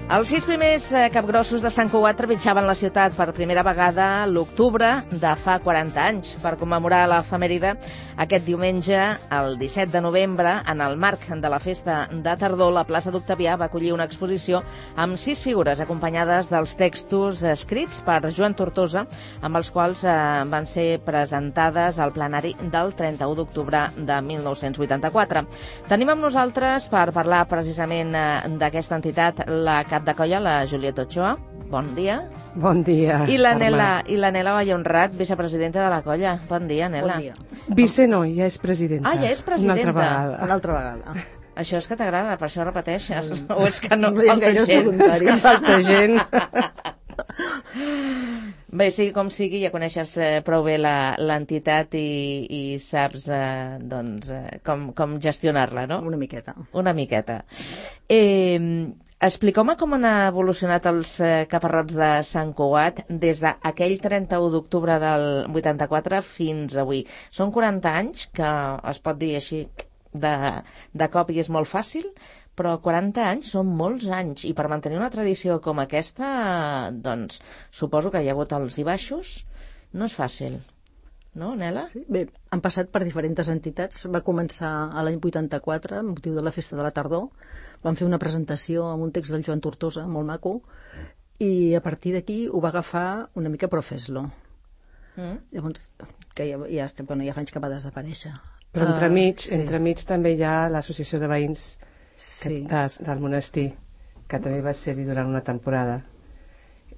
Els 6 primers capgrossos de Sant Cugat trepitjaven la ciutat per primera vegada l'octubre de fa 40 anys. Per commemorar l'efemèride, aquest diumenge, el 17 de novembre, en el marc de la festa de tardor, la plaça d'Octavià va acollir una exposició amb 6 figures acompanyades dels textos escrits per Joan Tortosa, amb els quals van ser presentades al plenari del 31 d'octubre de 1984. Tenim amb nosaltres, per parlar precisament d'aquesta entitat, la cap de colla, la Julieta Ochoa. Bon dia. Bon dia. I la Nela Vallhonrat, vicepresidenta de la colla. Bon dia, Nela. Bon dia. Vice no, ja és presidenta. Ah, ja és presidenta. Una altra vegada. Això és que t'agrada, per això repeteixes. O és que no hi ha falta gaires gent? voluntaris. És que falta gent. Bé, sigui com sigui, ja coneixes prou bé l'entitat i saps com gestionar-la, no? Una miqueta. Una miqueta. Expliqueu-me com han evolucionat els caparrots de Sant Cugat des d'aquell 31 d'octubre del 84 fins avui. Són 40 anys, que es pot dir així de cop i és molt fàcil, però 40 anys són molts anys, i per mantenir una tradició com aquesta, doncs, suposo que hi ha hagut alts i baixos. No és fàcil, no, Nela? Sí. Bé, han passat per diferents entitats. Va començar a l'any 84, amb motiu de la festa de la tardor. Vam fer una presentació amb un text del Joan Tortosa, molt maco, i a partir d'aquí ho va agafar una mica Profeslo. Llavors, que ja fa anys que va desaparèixer. Però entremig també hi ha l'associació de veïns del monestir, que també va ser-hi durant una temporada,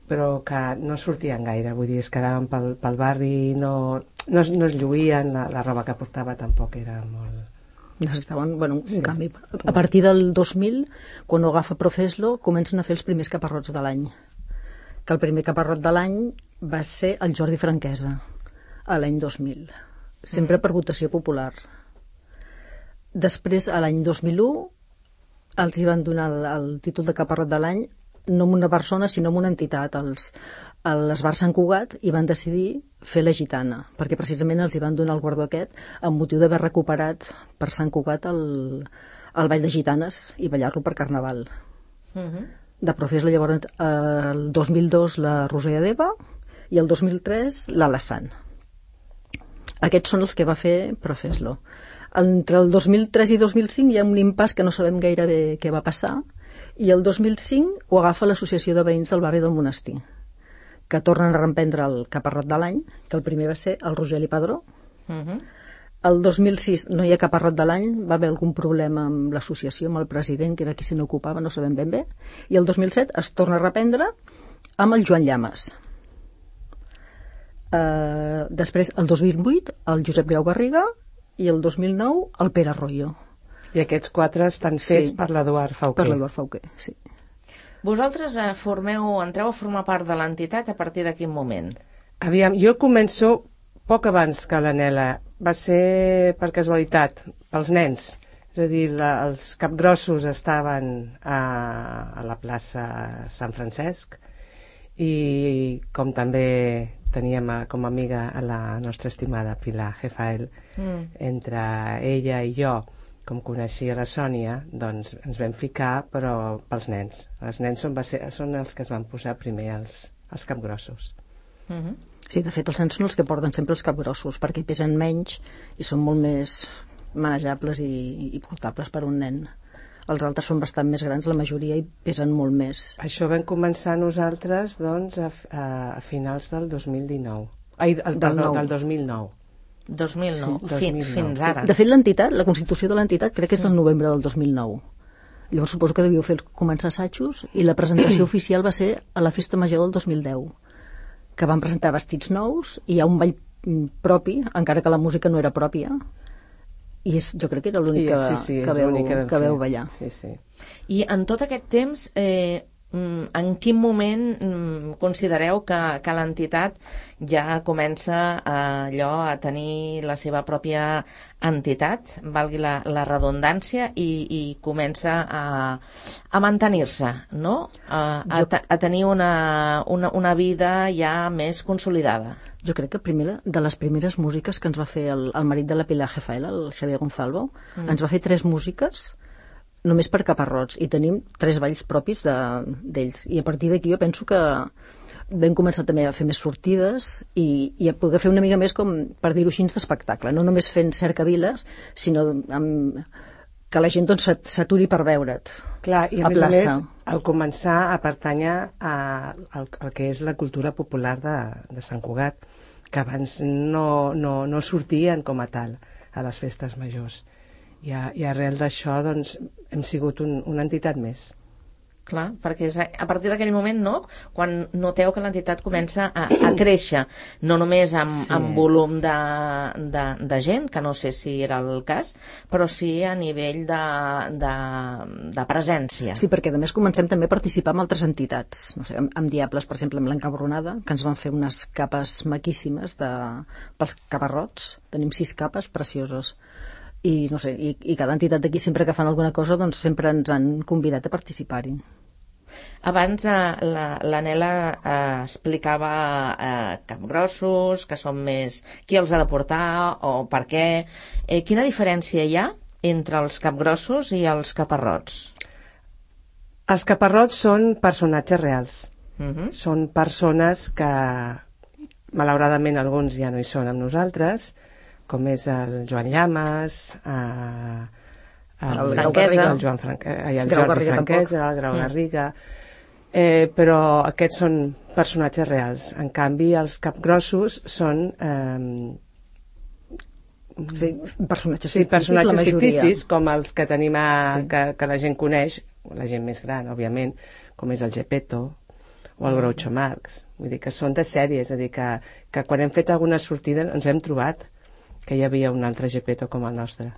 però que no sortien gaire, vull dir, es quedaven pel barri, no es lluïen, la roba que portava tampoc era molt... Necessitaven, un canvi. A partir del 2000, quan ho agafa Profeslo, comencen a fer els primers caparrots de l'any. Que el primer caparrot de l'any va ser el Jordi Franquesa, a l'any 2000. Sempre per votació popular. Després, a l'any 2001, els hi van donar el títol de caparrot de l'any, no amb una persona, sinó amb una entitat, l'Esbar Sant Cugat, i van decidir fer la gitana, perquè precisament els hi van donar el guardó aquest amb motiu d'haver recuperat per Sant Cugat el ball de gitanes i ballar-lo per Carnaval. De Profeslo, llavors, el 2002 la Roser Adeba i el 2003 l'Alassane. Aquests són els que va fer Profeslo. Entre el 2003 i 2005 hi ha un impàs que no sabem gaire bé què va passar, i el 2005 ho agafa l'Associació de Veïns del Barri del Monestir, que tornen a reemprendre el caparrot de l'any, que el primer va ser el Rogeli Padró. El 2006 no hi ha caparrot de l'any, va haver algun problema amb l'associació, amb el president, que era qui se n'ocupava, no sabem ben bé, i el 2007 es torna a reprendre amb el Joan Llames. Després, el 2008, el Josep Grau Garriga, i el 2009, el Pere Arroyo. I aquests 4 estan fets per l'Eduard Fauquer. Per l'Eduard Fauquer, sí. Vosaltres entreu a formar part de l'entitat a partir de quin moment? Aviam, jo començo poc abans que la Nela. Va ser per casualitat, pels nens. És a dir, els capgrossos estaven a la plaça Sant Francesc, i com també teníem com a amiga a la nostra estimada Pilar Jefael, entre ella i jo, com coneixia la Sònia, doncs ens vam ficar, però pels nens. Els nens són els que es van posar primer els capgrossos. Sí, de fet, els nens són els que porten sempre els capgrossos, perquè pesen menys i són molt més manejables i portables per un nen. Els altres són bastant més grans, la majoria, i pesen molt més. Això vam començar nosaltres, doncs, a finals del 2019. Del 2009. 2009, Sí, fins ara. De fet, l'entitat, la constitució de l'entitat, crec que és del novembre del 2009. Llavors suposo que devíeu començar assajos, i la presentació oficial va ser a la Festa Major del 2010, que van presentar vestits nous, i hi ha un ball propi, encara que la música no era pròpia, i jo crec que era l'únic que veu ballar. Sí. I en tot aquest temps, en quin moment considereu que l'entitat ja comença a tenir la seva pròpia entitat, valgui la redundància, i comença a mantenir-se, no? A tenir una vida ja més consolidada? Jo crec que de les primeres músiques que ens va fer el marit de la Pilar Jefael, el Xavier Gonzalvo, ens va fer 3 músiques només per caparrots, i tenim 3 balls propis d'ells. I a partir d'aquí jo penso que vam començar també a fer més sortides i a poder fer una mica més, com per dir-ho així, d'espectacle. No només fent cercaviles, sinó que la gent doncs, s'aturi per veure't. Clar, i a més, al començar a pertànyer al que és la cultura popular de Sant Cugat, que abans no sortien com a tal a les festes majors. I arrel d'això doncs, hem sigut una entitat més. Clar, perquè és a partir d'aquell moment, no?, quan noteu que l'entitat comença a créixer, no només amb volum de gent, que no sé si era el cas, però sí a nivell de presència. Sí, perquè a més comencem també a participar amb altres entitats, no sé, amb Diables, per exemple, amb l'Encabronada, que ens van fer unes capes maquíssimes pels caparrots. Tenim 6 capes precioses. I no sé, i cada entitat d'aquí, sempre que fan alguna cosa, doncs sempre ens han convidat a participar-hi. Abans la Nela explicava capgrossos, que són més... Qui els ha de portar o per què? Quina diferència hi ha entre els capgrossos i els caparrots? Els caparrots són personatges reals. Són persones que, malauradament, alguns ja no hi són amb nosaltres, com és el Joan Llamas, el Jordi Franquesa, el Grau Garriga, però aquests són personatges reals. En canvi, els capgrossos són personatges ficticis, com els que tenim que la gent coneix, la gent més gran, òbviament, com és el Gepetto o el Groucho Marx. Vull dir que són de sèrie, és a dir, que quan hem fet alguna sortida ens hem trobat que hi havia un altre Gepetto com el nostre.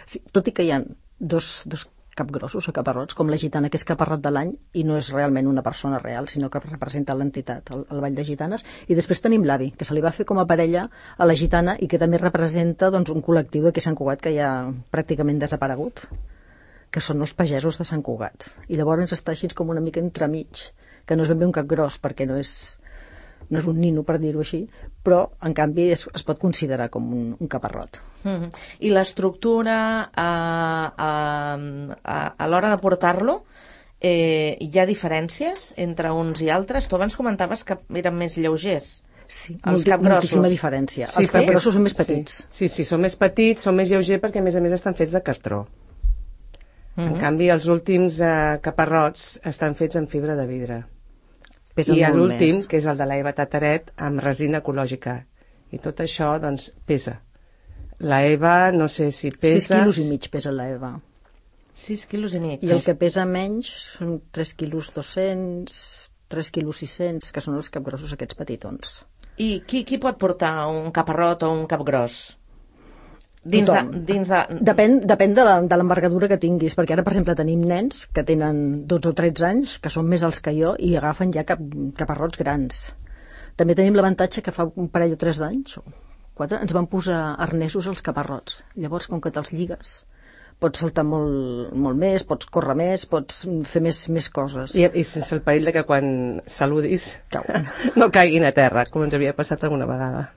Sí, tot i que hi ha dos capgrossos o caparrots, com la gitana, que és caparrot de l'any i no és realment una persona real, sinó que representa l'entitat, el Ball de Gitanes, i després tenim l'avi, que se li va fer com a parella a la gitana i que també representa doncs, un col·lectiu d'aquí a Sant Cugat que ja pràcticament desaparegut, que són els pagesos de Sant Cugat. I llavors està així com una mica entremig, que no és ben bé un capgros, perquè no és un nino, per dir-ho així, però en canvi es pot considerar com un caparrot. I l'estructura a l'hora de portar-lo, hi ha diferències entre uns i altres? Tu abans comentaves que eren més lleugers. Sí, els capgrossos. Moltíssima diferència. Els capgrossos són més petits. Sí, són més petits, són més lleugers perquè a més estan fets de cartró. En canvi, els últims caparrots estan fets amb fibra de vidre. I l'últim, que és el de l'Eva Tataret, amb resina ecològica. I tot això, doncs, pesa. L'Eva, no sé si pesa... 6 quilos i mig pesa l'Eva. 6 quilos i mig. I el que pesa menys són 3 quilos 200, 3 quilos 600, que són els capgrossos aquests petitons. I qui pot portar un caparrot o un capgros? Depèn de l'envergadura que tinguis, perquè ara, per exemple, tenim nens que tenen 12 o 13 anys, que són més alts que jo, i agafen ja caparrots grans. També tenim l'avantatge que fa un parell o 3 d'anys, o 4, ens van posar arnesos als caparrots. Llavors, com que te'ls lligues, pots saltar molt més, pots córrer més, pots fer més coses. I sense el perill de que quan saludis no caiguin a terra, com ens havia passat alguna vegada.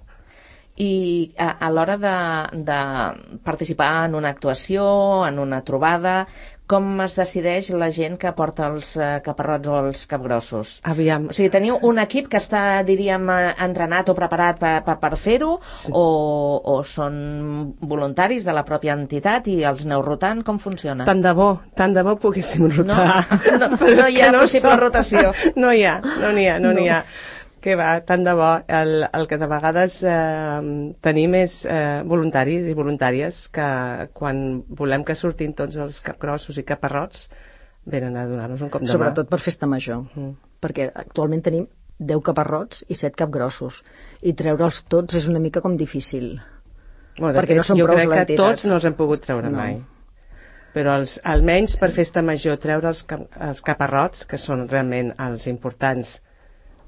I a l'hora de participar en una actuació, en una trobada, com es decideix la gent que porta els caparrots o els capgrossos? Aviam. O sigui, teniu un equip que està, diríem, entrenat o preparat per fer-ho, sí, o són voluntaris de la pròpia entitat i els aneu rotant? Com funciona? Tant de bo poguéssim rotar. No hi ha possible rotació. No n'hi ha. Que va, tant de bo. El que de vegades tenim és voluntaris i voluntàries que quan volem que surtin tots els capgrossos i caparrots venen a donar-nos un cop de mà. Sobretot per festa major, perquè actualment tenim 10 caparrots i 7 capgrossos, i treure'ls tots és una mica com difícil, perquè no són prou l'entitat. Jo crec que tots no els hem pogut treure mai. Però almenys per festa major treure els caparrots, que són realment els importants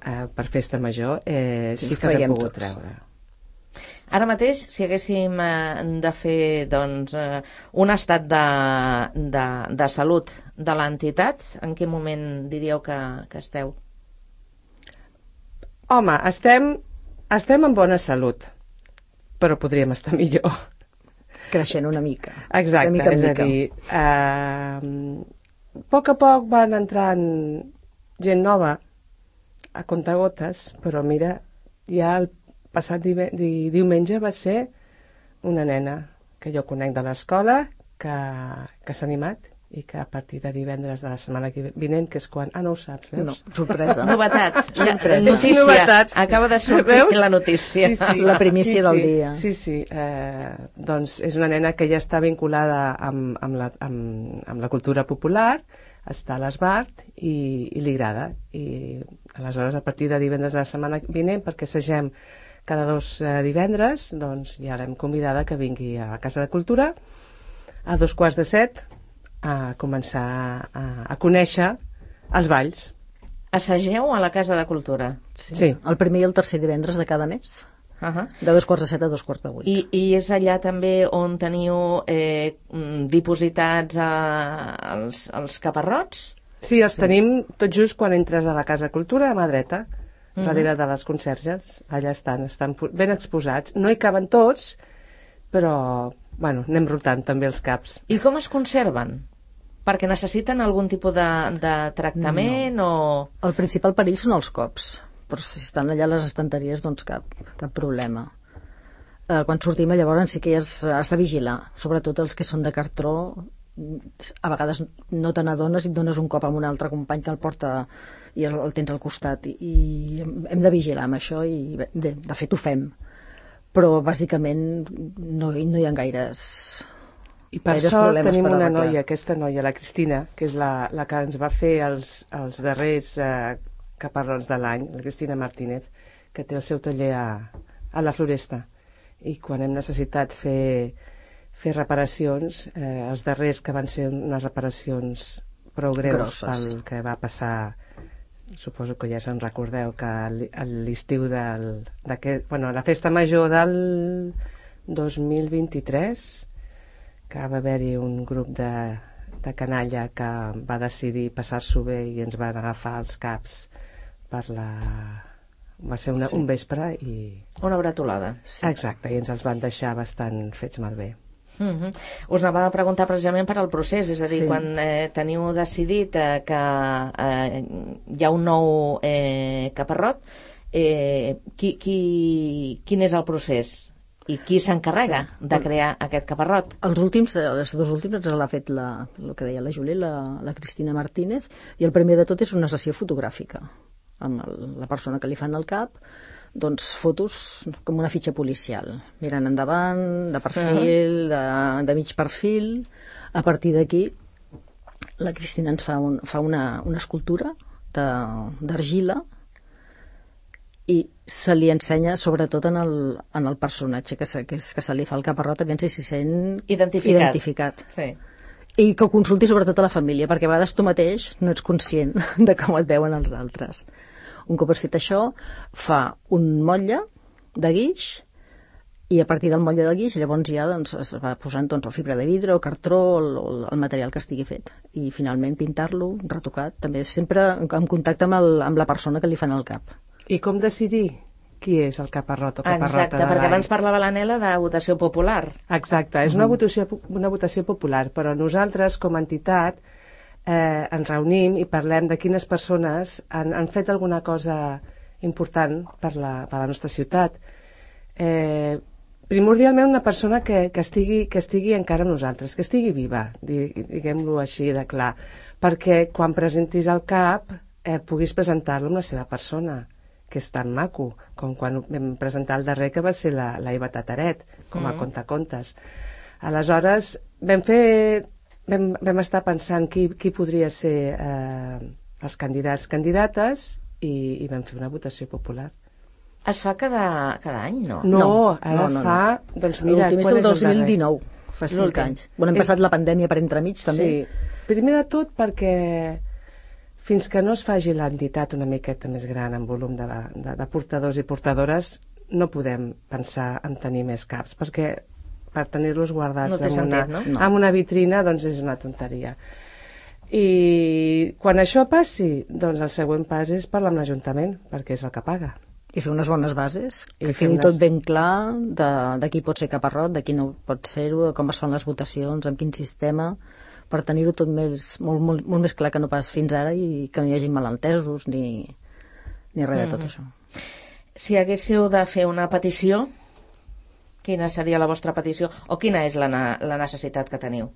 per festa major, sí que s'ha pogut treure. Ara mateix, si haguéssim de fer doncs, un estat de salut de l'entitat, en quin moment diríeu que esteu? Home, estem en bona salut, però podríem estar millor. creixent una mica. Exacte, de mica en és mica. a dir, a poc van entrant gent nova a contagotes, però mira, ja el passat diumenge va ser una nena que jo conec de l'escola que s'ha animat i que a partir de divendres de la setmana vinent, que és quan... Ah, no ho saps, veus? No, sorpresa. Novetat. Sorpresa. Notícia. Novetat. Acaba de sortir Veus? la notícia. La primícia del dia. Sí. Doncs és una nena que ja està vinculada amb la cultura popular, està a l'Esbart i li agrada. I aleshores, a partir de divendres de la setmana vinent, perquè assagem cada 2 divendres, doncs ja l'hem convidada que vingui a la Casa de Cultura a 6:45 a començar a conèixer els balls. Assageu a la Casa de Cultura. Sí. El primer i el tercer divendres de cada mes, de 7:15 a 7:45. I és allà també on teniu dipositats els caparrots? Sí, els tenim tot just quan entres a la Casa de Cultura, a mà dreta, darrere de les conserges. Allà estan ben exposats. No hi caben tots, però bueno, anem rotant també els caps. I com es conserven? Perquè necessiten algun tipus de tractament o... El principal perill són els cops, però si estan allà a les estanteries, doncs cap problema. Quan sortim llavors sí que has de vigilar, sobretot els que són de cartró. A vegades no te n'adones i et dones un cop amb un altre company que el porta i el tens al costat, i hem de vigilar amb això, i de fet ho fem, però bàsicament no hi ha gaires... I per sort tenim una noia, aquesta noia, la Cristina, que és la que ens va fer els darrers caparrons de l'any, la Cristina Martínez, que té el seu taller a la Floresta. I quan hem necessitat fer reparacions, els darrers que van ser unes reparacions prou greus pel que va passar, suposo que ja se'n recordeu, que a l'estiu la festa major del 2023, que va haver-hi un grup de canalla que va decidir passar-s'ho bé i ens van agafar els caps va ser un vespre i... Una bretolada. Sí. Exacte, i ens els van deixar bastant fets malbé. Us anava a preguntar precisament per al procés, és a dir, quan teniu decidit que hi ha un nou caparrot, quin és el procés? I qui s'encarrega de crear aquest caparrot? Els dos últims ens l'ha fet el que deia la Júlia, la Cristina Martínez, i el primer de tot és una sessió fotogràfica amb la persona que li fan el cap, doncs fotos com una fitxa policial, mirant endavant, de perfil, de mig perfil. A partir d'aquí la Cristina ens fa una escultura d'argila, i se li ensenya sobretot en el personatge que se li fa el caparrot, a veure si s'hi sent identificat. Sí. I que ho consulti sobretot a la família, perquè a vegades tu mateix no ets conscient de com et veuen els altres. Un cop has fet això, fa un motlle de guix, i a partir del motlle de guix llavors ja es va posant o fibra de vidre o cartró o el material que estigui fet, i finalment pintar-lo, retocat, també sempre en contacte amb la persona que li fan el cap. I com decidir qui és el caparrot o caparrota de l'any? Exacte, perquè abans parlava l'Anela de votació popular. Exacte, és una votació popular, però nosaltres com a entitat ens reunim i parlem de quines persones han fet alguna cosa important per la nostra ciutat. Primordialment una persona que estigui encara amb nosaltres, que estigui viva, diguem-lo així de clar, perquè quan presentis el cap puguis presentar-lo amb la seva persona, que és tan maco, com quan vam presentar el darrer, que va ser la Eva Tataret, com a contacontes. Aleshores, vam estar pensant qui podria ser els candidates, i vam fer una votació popular. Es fa cada any, no? No, fa... Doncs mira, l'últim és el 2019, fa 5 anys. Hem passat la pandèmia per entremig, també. Sí, primer de tot perquè fins que no es faci l'entitat una miqueta més gran en volum de portadors i portadores, no podem pensar en tenir més caps, perquè per tenir-los guardats en una vitrina doncs és una tonteria. I quan això passi, doncs el següent pas és parlar amb l'Ajuntament, perquè és el que paga. I fer unes bones bases, I que fer quedi unes- tot ben clar de qui pot ser caparrot, de qui no pot ser-ho, de com es fan les votacions, amb quin sistema, per tenir-ho tot molt més clar que no pas fins ara i que no hi hagi malentesos ni res de tot això. Si haguéssiu de fer una petició, quina seria la vostra petició o quina és la necessitat que teniu?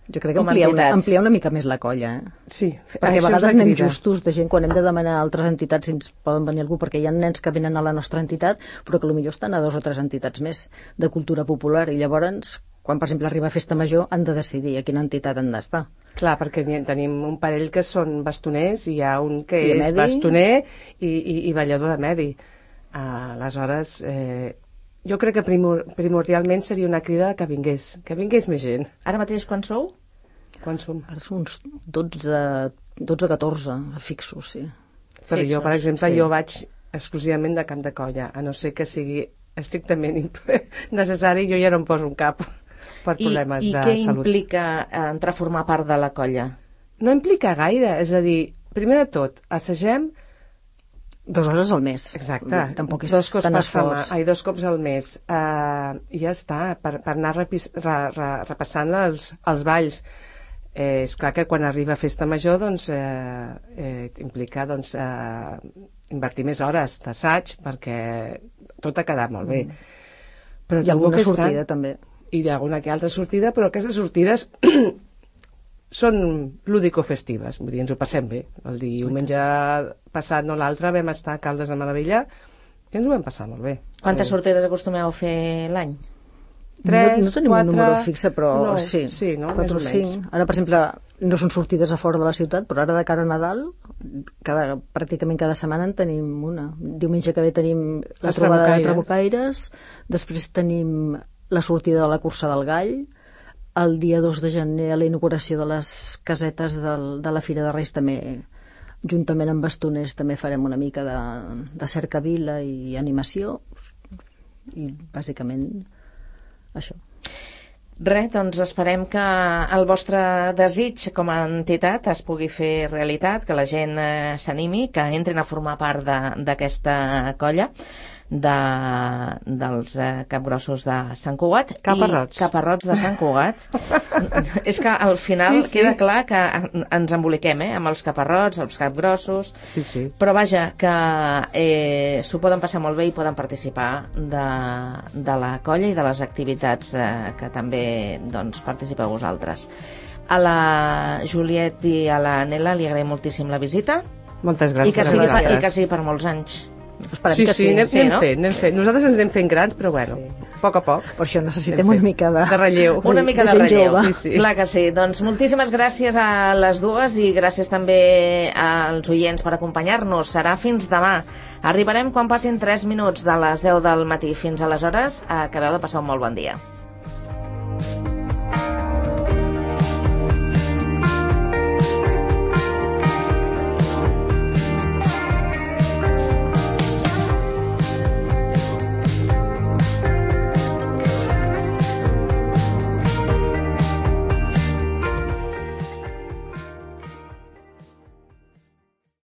Jo crec que Com a ampliar entitats. una mica més la colla, Sí, perquè a això és vegades la anem crida. justos de gent quan hem de demanar a altres entitats si ens poden venir algú, perquè hi ha nens que venen a la nostra entitat però que potser estan a 2 o 3 entitats més de cultura popular i llavors quan per exemple arriba a Festa Major han de decidir a quina entitat han d'estar. Clar, perquè tenim un parell que són bastoners i hi ha un que I és Medi. bastoner i ballador de Medi. Aleshores, jo crec que primordialment seria una crida que vingués més gent. Ara mateix quan sou? Quan som? Ara són uns 12-14 fixos, sí. Però jo, per exemple, sí. jo vaig exclusivament de camp de colla, a no ser que sigui estrictament necessari, jo ja no em poso un cap per problemes I de què salut. implica entrar a formar part de la colla? No implica gaire, és a dir, primer de tot, assagem 2 hores al mes. exacte, Tampoc és 2 cops tan per esforç. setmana, 2 cops al mes, i ja està, per anar repassant els balls. És clar que quan arriba Festa Major doncs, implica doncs, invertir més hores d'assaig perquè tot ha quedat molt bé. Però I alguna tampoc és sortida tant. també. I d'alguna que altra sortida, però aquestes sortides són lúdico-festives, vull dir, ens ho passem bé. El diumenge passat, no l'altre, vam estar a Caldes de Malavella i ens ho vam passar molt bé. Quantes sortides acostumeu a fer l'any? 3, no tenim 4, un número fixe, però no, sí, no? 4 Més o o 5. menys. Ara, per exemple, no són sortides a fora de la ciutat, però ara de cara a Nadal, pràcticament cada setmana en tenim una. Diumenge que ve tenim la Les trobada de Trabucaires. Trabucaires, després tenim la sortida de la cursa del Gall, el dia 2 de gener a la inauguració de les casetes de la Fira de Reis també, juntament amb bastoners, també farem una mica de cercavila i animació, i bàsicament això. Res, doncs esperem que el vostre desig com a entitat es pugui fer realitat, que la gent s'animi, que entrin a formar part d'aquesta colla dels capgrossos de Sant Cugat. Caparrots. I caparrots de Sant Cugat. És que al final Sí. queda clar que ens emboliquem amb els caparrots, els capgrossos, Sí. però vaja, que s'ho poden passar molt bé i poden participar de la colla i de les activitats que també doncs, participeu vosaltres. A la Juliet i a la Nela li agraïm moltíssim la visita Moltes i gràcies. que sigui per molts anys. Esperem Sí, que sí. anem fent. Nosaltres ens anem fent grans, però bueno, a poc a poc. Per això necessitem Anem una fent. mica de relleu. Una mica de gent relleu. jove. Sí. Clar que sí. Doncs moltíssimes gràcies a les dues i gràcies també als oients per acompanyar-nos. Serà fins demà. Arribarem quan passin 3 minuts de les 10 del matí. Fins aleshores, acabeu de passar un molt bon dia.